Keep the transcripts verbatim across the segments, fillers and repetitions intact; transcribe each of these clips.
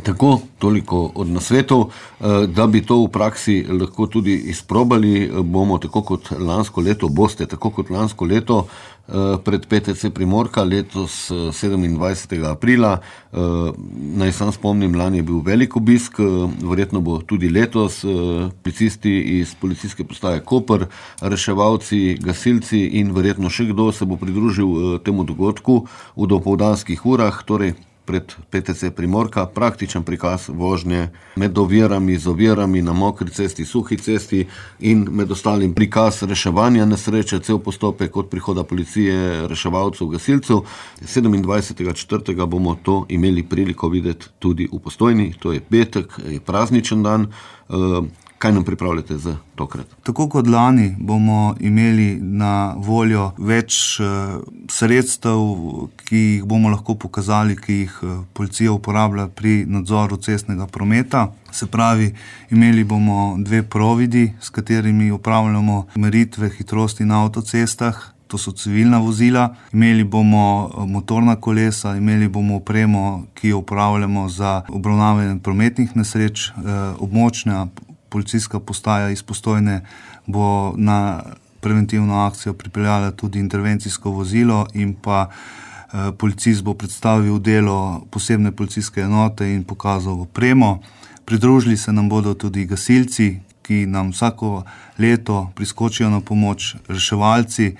Tako, toliko od nasvetov. Da bi to v praksi lahko tudi izprobali, bomo tako kot lansko leto, boste tako kot lansko leto pred P T C Primorka letos sedemindvajsetega aprila. Naj sam spomnim, lani je bil velik obisk, verjetno bo tudi letos. Policisti iz policijske postaje Koper, reševalci, gasilci in verjetno še kdo se bo pridružil temu dogodku v dopoldanskih urah, torej pred P T C Primorka, praktičen prikaz vožnje med ovirami, z ovirami na mokri cesti, suhi cesti in med ostalim prikaz reševanja nesreče, cel postopek od prihoda policije, reševalcev, gasilcev. sedemindvajsetega četrtega bomo to imeli priliko videti tudi v Postojni, to je petek, je prazničen dan. Kaj nam pripravljate za tokrat? Tako kot lani bomo imeli na voljo več sredstev, ki jih bomo lahko pokazali, ki jih policija uporablja pri nadzoru cestnega prometa. Se pravi, imeli bomo dve providi, s katerimi upravljamo meritve hitrosti na avtocestah. To so civilna vozila. Imeli bomo motorna kolesa, imeli bomo opremo, ki jo uporabljamo za obravnavanje prometnih nesreč. Območna policijska postaja iz Postojne bo na preventivno akcijo pripeljala tudi intervencijsko vozilo in pa eh, policist bo predstavil delo posebne policijske enote in pokazal opremo. Pridružili se nam bodo tudi gasilci, ki nam vsako leto priskočijo na pomoč, reševalci. E,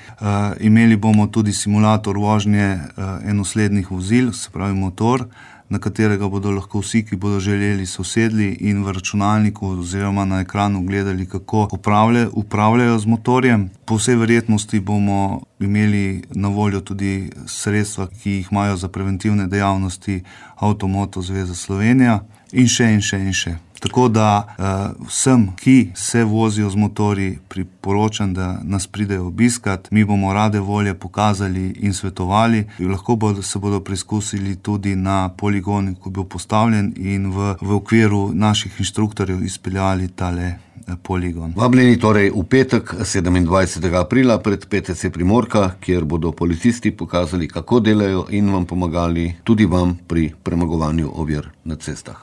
imeli bomo tudi simulator vožnje e, enoslednih vozil, se pravi motor, na katerega bodo lahko vsi, ki bodo želeli, sosedli in v računalniku oziroma na ekranu gledali, kako upravljajo, upravljajo z motorjem. Po vsej verjetnosti bomo imeli na voljo tudi sredstva, ki jih imajo za preventivne dejavnosti Avtomoto Zveza Slovenija in še in še in še. Tako da uh, vsem, ki se vozijo z motorji, priporočam, da nas pridejo obiskat. Mi bomo rade volje pokazali in svetovali. Lahko bodo, se bodo preizkusili tudi na poligonu, ko bo postavljen, in v, v okviru naših inštruktorjev izpeljali tale poligon. Vabljeni torej v petek sedemindvajsetega aprila pred P T C Primorka, kjer bodo policisti pokazali, kako delajo in vam pomagali, tudi vam pri premagovanju ovir na cestah.